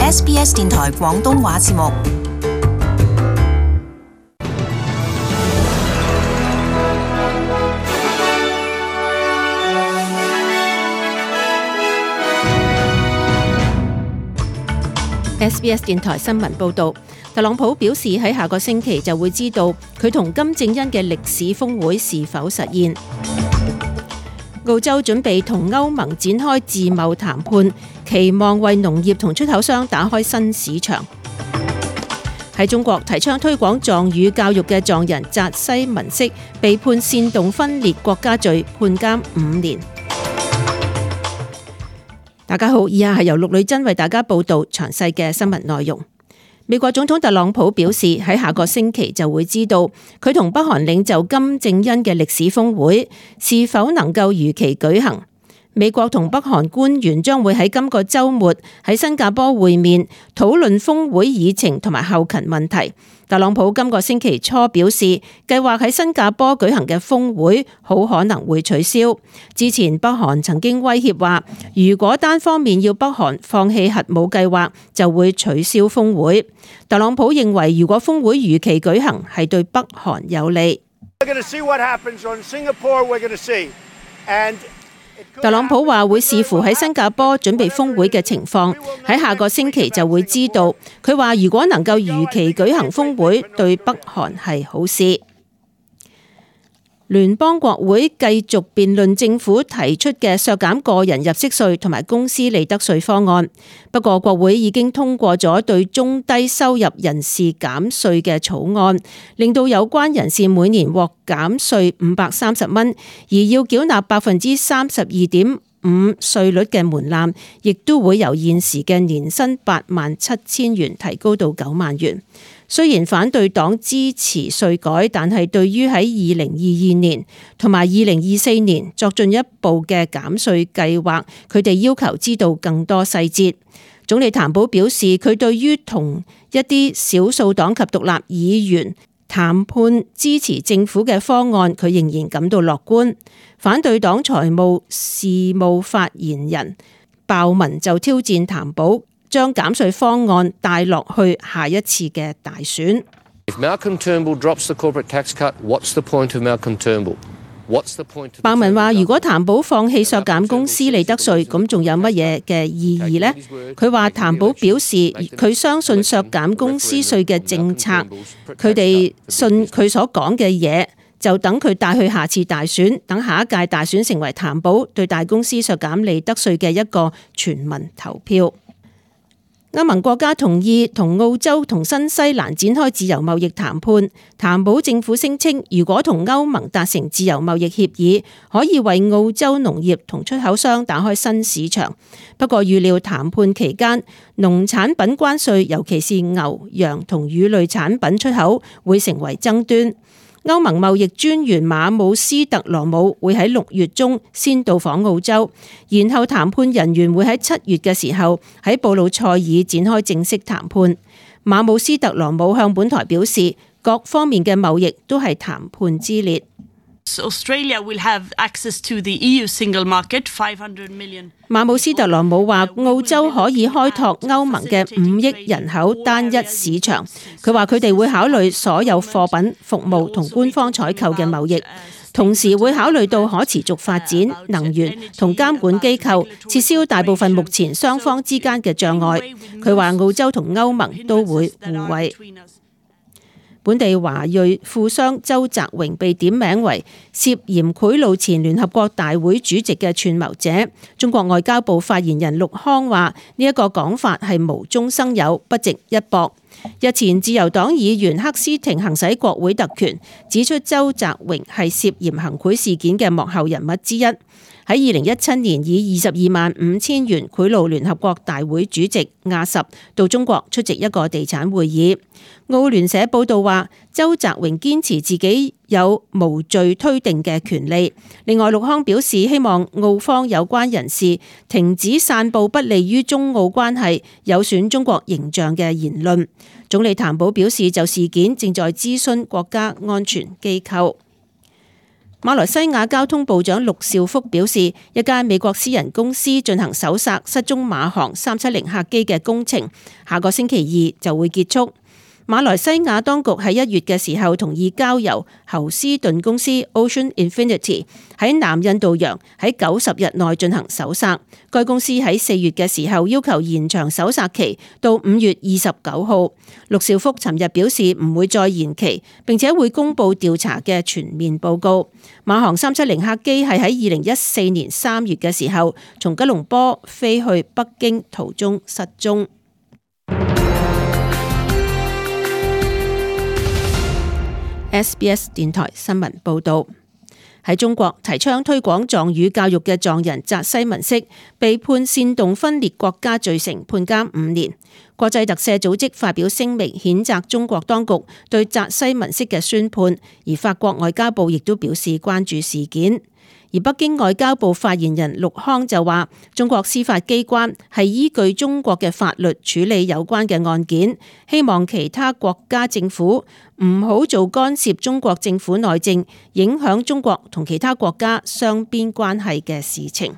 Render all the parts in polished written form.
SBS 電台廣東話節目。SBS 電台新聞報導，特朗普表示喺下個星期就會知道佢同金正恩嘅歷史峰會是否實現。澳洲準備同歐盟展開自貿談判，期望為農業同出口商打開新市場。喺中國提倡推廣藏語教育嘅藏人扎西文色被判煽動分裂國家罪，判監5年。大家好，以下係由陸女真為大家報道詳細嘅新聞內容。美國總統特朗普表示喺下個星期就會知道佢同北韓領袖金正恩嘅歷史峰會是否能夠如期舉行。美國同北韓官員將會喺今個週末喺新加坡會面，討論峰會議程同埋後勤問題。特朗普今個星期初表示，計劃喺新加坡舉行嘅峰會好可能會取消。之前北韓曾經威脅話，如果單方面要北韓放棄核武計劃，就會取消峰會。特朗普認為，如果峰會如期舉行，係對北韓有利。特朗普話會視乎喺新加坡準備峰會嘅情況，喺下個星期就會知道。佢話如果能夠如期舉行峰會，對北韓係好事。聯邦國會繼續辯論政府提出嘅削減個人入息稅同埋公司利得稅方案，不過國會已經通過咗對中低收入人士減稅嘅草案，令到有關人士每年獲減稅530蚊，而要繳納32.5%稅率嘅門檻，亦都會由現時嘅年薪87000元提高到9萬元。雖然反對黨支持稅改，但係對於喺2022年同埋2024年作進一步嘅減稅計劃，佢哋要求知道更多細節。總理譚寶表示，佢對於同一啲少數黨及獨立議員談判支持政府嘅方案，佢仍然感到樂觀。反對黨財務事務發言人鮑文就挑戰譚寶，將減稅方案帶落去下一次嘅大選。鮑文話：如果譚寶放棄削減公司利得稅，咁仲有乜嘢嘅意義呢？佢話譚寶表示佢相信削減公司稅嘅政策，佢哋信佢所講嘅嘢，就等佢帶去下次大選，等下一屆大選成為譚寶對大公司削減利得稅嘅一個全民投票。歐盟國家同意同澳洲同新西蘭展開自由貿易談判。譚寶政府聲稱，如果同歐盟達成自由貿易協議，可以為澳洲農業同出口商打開新市場。不過預料談判期間，農產品關稅，尤其是牛、羊同魚類產品出口，會成為爭端。歐盟貿易專員馬姆斯特羅姆會喺6月中先到訪澳洲，然後談判人員會喺7月嘅時候喺布魯塞爾展開正式談判。馬姆斯特羅姆向本台表示，各方面嘅貿易都係談判之列。Australia will have access to the EU single market, 500 million. 馬姆斯特羅姆話，澳洲可以開拓歐盟嘅5億人口單一市場。佢話佢哋會考慮所有貨品、服務同官方採購嘅貿易，同時會考慮到可持續發展、能源同監管機構，撤銷大部分目前雙方之間嘅障礙。佢話澳洲同歐盟都會互惠。本地華裔富商周澤榮被點名為涉嫌賄賂前聯合國大會主席嘅串謀者。中國外交部發言人陸康話：呢一個講法係無中生有，不值一駁。日前自由黨議員克斯廷行使國會特權，指出周澤榮係涉嫌行賄事件嘅幕後人物之一。喺2017年以225000元賄賂聯合國大會主席亞什到中國出席一個地產會議。澳聯社報道話，周澤榮堅持自己有無罪推定嘅權利。另外，陸康表示希望澳方有關人士停止散佈不利於中澳關係、有損中國形象嘅言論。總理譚寶表示，就事件正在諮詢國家安全機構。馬來西亞交通部長陸兆福表示，一間美國私人公司進行搜索失蹤馬航370客機嘅工程，下個星期2就會結束。馬來西亞當局喺1月嘅時候同意交由侯斯頓公司 Ocean Infinity 喺南印度洋喺90日內進行搜索。該公司喺4月嘅時候要求延長搜索期到5月29號。陸兆福尋日表示唔會再延期，並且會公布調查嘅全面報告。馬航370客機係喺2014年3月嘅時候從吉隆坡飛去北京途中失蹤。SBS 電台新聞報道：喺中國提倡推廣藏語教育嘅藏人扎西文色被判煽動分裂國家罪成，判監5年。國際特赦組織發表聲明譴責中國當局對扎西文色嘅宣判，而法國外交部亦都表示關注事件。而北京外交部發言人陸康就話，中國司法機關係依據中國嘅法律處理有關嘅案件，希望其他國家政府唔好做干涉中國政府內政、影響中國同其他國家雙邊關係嘅事情。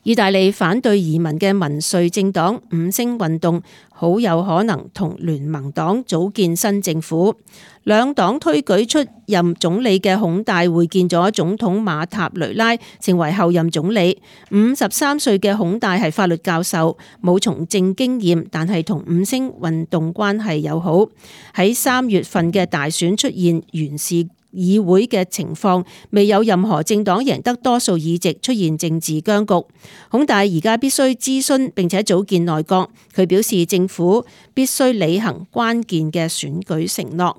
意大利反對移民嘅民粹政黨五星運動好有可能同聯盟黨組建新政府。兩黨推舉出任總理嘅孔戴會見咗總統馬塔雷拉，成為後任總理。53歲嘅孔戴係法律教授，冇從政經驗，但係同五星運動關係友好。喺3月份嘅大選出現懸峙議會嘅情況，未有任何政黨贏得多數議席，出現政治僵局。孔戴而家必須諮詢並且組建內閣，佢表示政府必須履行關鍵嘅選舉承諾。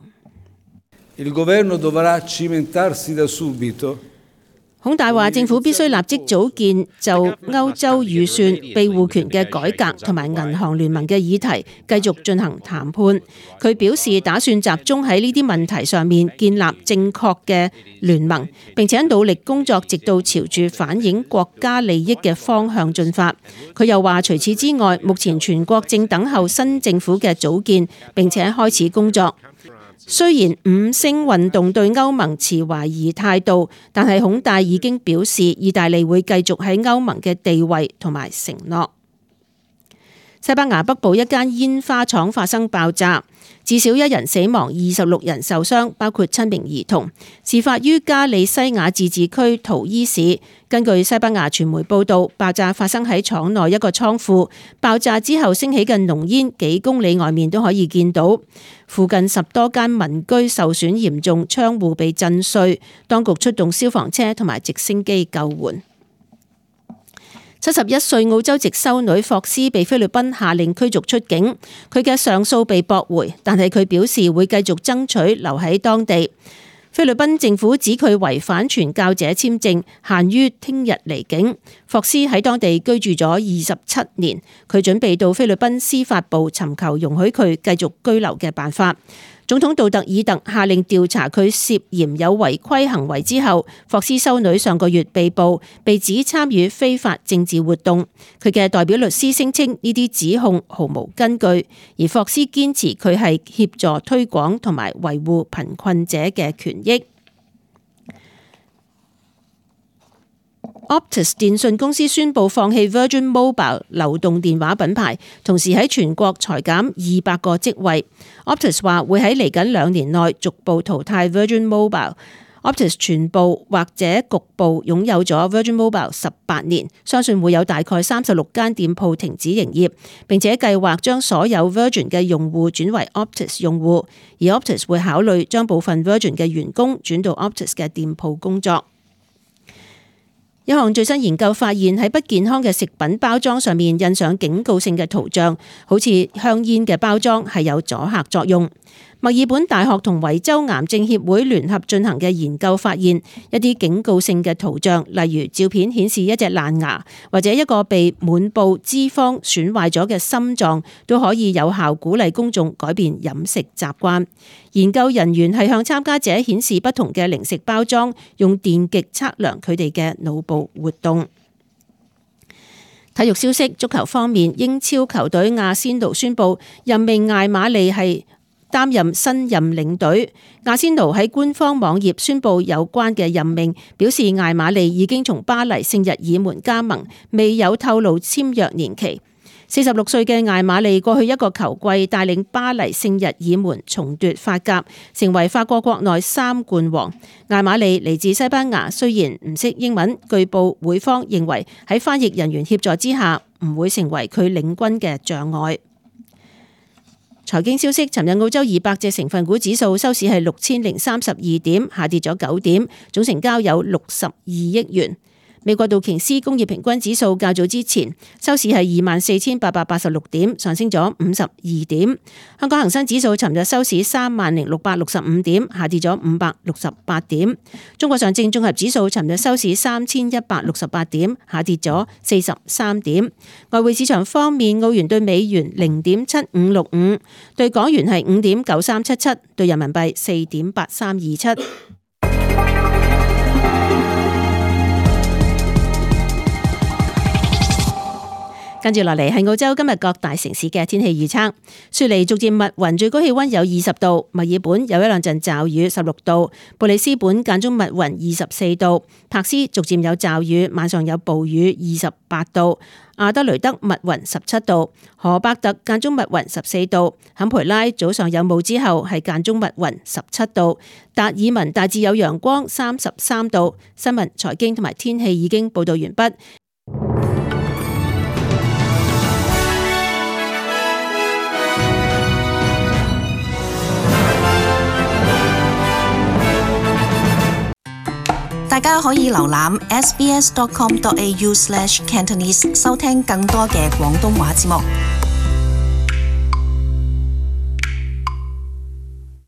孔戴話政府必須立即組建就歐洲預算庇護權嘅改革同埋銀行聯盟嘅議題繼續進行談判。佢表示打算集中喺呢啲問題上面建立正確嘅聯盟，並且努力工作直到朝住反映國家利益嘅方向進發。佢又話除此之外，目前全國正等候新政府嘅組建並且開始工作。雖然五星運動對歐盟持懷疑態度，但係孔戴已經表示意大利會繼續喺歐盟嘅地位同埋承諾。西班牙北部一間煙花廠發生爆炸，至少1人死亡，26人受傷，包括7名兒童。事發於加利西亞自治區圖伊市。根據西班牙傳媒報道，爆炸發生喺廠內一個倉庫，爆炸之後升起嘅濃煙幾公里外面都可以見到。附近10多間民居受損嚴重，窗戶被震碎。當局出動消防車同埋直升機救援。71歲澳洲籍修女霍斯被菲律賓下令驅逐出境，佢嘅上訴被駁回，但係佢表示會繼續爭取留喺當地。菲律賓政府指佢違反傳教者簽證，限於聽日離境。霍斯喺當地居住咗27年，佢準備到菲律賓司法部尋求容許佢繼續居留嘅辦法。總統杜特爾特下令調查佢涉嫌有違規行為之後，霍斯修女上個月被捕，被指參與非法政治活動。佢嘅代表律師聲稱呢啲指控毫無根據，而霍斯堅持佢係協助推廣同埋維護貧困者嘅權益。Optus 電信公司宣布放棄 Virgin Mobile 流動電話品牌，同時喺全國裁減200個職位。Optus 話會喺嚟緊2年內逐步淘汰 Virgin Mobile。Optus 全部或者局部擁有咗 Virgin Mobile 18年，相信會有大概36間店鋪停止營業，並且計劃將所有 Virgin 嘅用戶轉為 Optus 用戶，而 Optus 會考慮將部分 Virgin 嘅員工轉到 Optus 嘅店鋪工作。一項最新研究發現，喺不健康嘅食品包裝上面印上警告性嘅圖像，好似香煙嘅包裝係有阻嚇作用。墨爾本大學同維州癌症協會聯合進行嘅研究發現，一啲警告性嘅圖像，例如照片顯示一隻爛牙或者一個被滿布脂肪損壞咗嘅心臟，都可以有效鼓勵公眾改變飲食習慣。研究人員係向參加者顯示不同嘅零食包裝，用電極測量佢哋嘅腦部活動。體育消息，足球方面，英超球隊阿仙奴宣布任命艾馬利係擔任新任領隊。阿仙奴喺官方網頁宣布有關嘅任命，表示艾馬利已經從巴黎聖日耳門加盟，未有透露簽約年期。46歲嘅艾馬利過去一個球季帶領巴黎聖日耳門重奪法甲，成為法國國內3冠王。艾馬利嚟自西班牙，雖然唔識英文，據報會方認為喺翻譯人員協助之下，唔會成為佢領軍嘅障礙。財經消息，尋日澳洲200隻成分股指數收市係6032點，下跌咗9點，總成交有62億元。美國道瓊斯工業平均指數較早之前收市係24,886點，上升咗52點。香港恒生指數尋日收市30,665點，下跌咗568點。中國上證綜合指數尋日收市3,168點，下跌咗43點。外匯市場方面，澳元對美元0.7565，對港元係5.9377，對人民幣4.8327。跟住落嚟係澳洲今日各大城市嘅天氣預測。雪梨逐漸密雲，最高氣溫有20度；墨爾本有一兩陣驟雨，16度；布里斯本間中密雲，24度；柏斯逐漸有驟雨，晚上有暴雨，28度；阿德雷德密雲17度；荷伯特間中密雲14度；坎培拉早上有霧之後係間中密雲17度；達爾文大致有陽光33度。新聞、財經同埋天氣已經報道完畢。大家可以瀏覽 sbs.com.au/cantonese 收聽更多嘅廣東話節目。